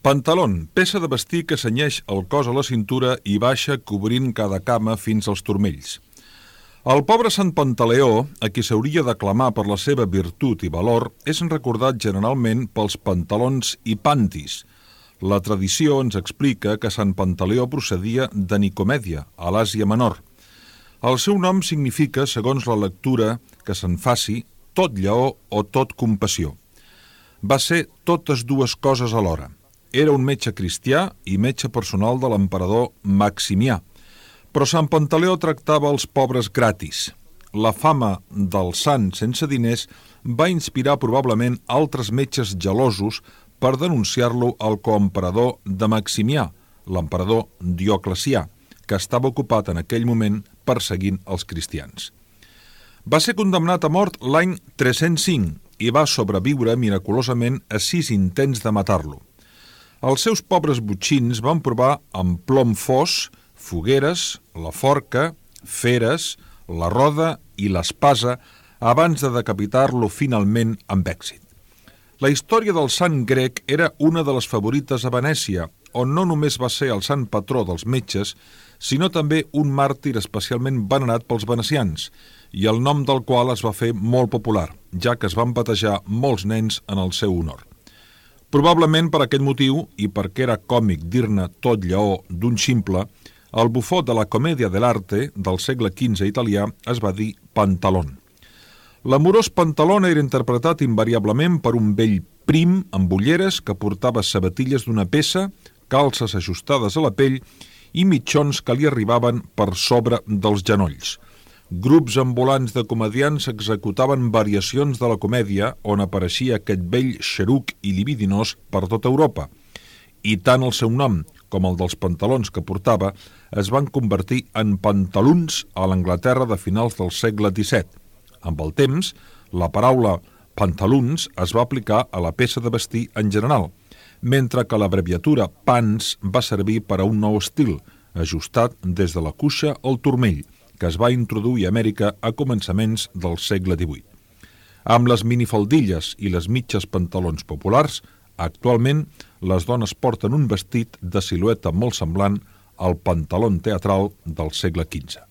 Pantalón, peça de vestir que cenyeix el cos a la cintura i baixa cobrint cada cama fins als turmells. El pobre Sant Pantaleó, a qui s'hauria d'aclamar per la seva virtut i valor, és recordat generalment pels pantalons i pantis. La tradició ens explica que Sant Pantaleó procedia de Nicomèdia, a l'Àsia Menor. El seu nom significa, segons la lectura que se'n faci, tot lleó o tot compassió. Va ser totes dues coses alhora. Era un metge cristià i metge personal de l'emperador Maximià, però Sant Pantaleó tractava els pobres gratis. La fama del sant sense diners va inspirar probablement altres metges gelosos per denunciar-lo al coemperador de Maximià, l'emperador Dioclecià, que estava ocupat en aquell moment perseguint els cristians. Va ser condemnat a mort l'any 305 i va sobreviure miraculosament a 6 intents de matar-lo. Els seus pobres botxins van provar amb plom fos, fogueres, la forca, feres, la roda i l'espasa abans de decapitar-lo finalment amb èxit. La història del sant grec era una de les favorites a Venècia, on no només va ser el sant patró dels metges, sinó també un màrtir especialment venerat pels venecians, i el nom del qual es va fer molt popular, ja que es van batejar molts nens en el seu honor. Probablement per aquest motiu, i perquè era còmic dir-ne tot lleó d'un ximple, el bufó de la Commedia dell'arte del segle XV italià es va dir Pantalón. L'amorós Pantalón era interpretat invariablement per un vell prim amb ulleres que portava sabatilles d'una peça, calces ajustades a la pell i mitjons que li arribaven per sobre dels genolls. Grups ambulants de comediants executaven variacions de la comèdia on apareixia aquest vell xeruc i libidinós per tota Europa, i tant el seu nom com el dels pantalons que portava es van convertir en pantaluns a l'Anglaterra de finals del segle XVII. Amb el temps, la paraula pantaluns es va aplicar a la peça de vestir en general, mentre que l'abreviatura pants va servir per a un nou estil, ajustat des de la cuixa al turmell, que es va introduir a Amèrica a començaments del segle XVIII. Amb les minifaldilles i les mitges pantalons populars, actualment les dones porten un vestit de silueta molt semblant al pantalón teatral del segle XV.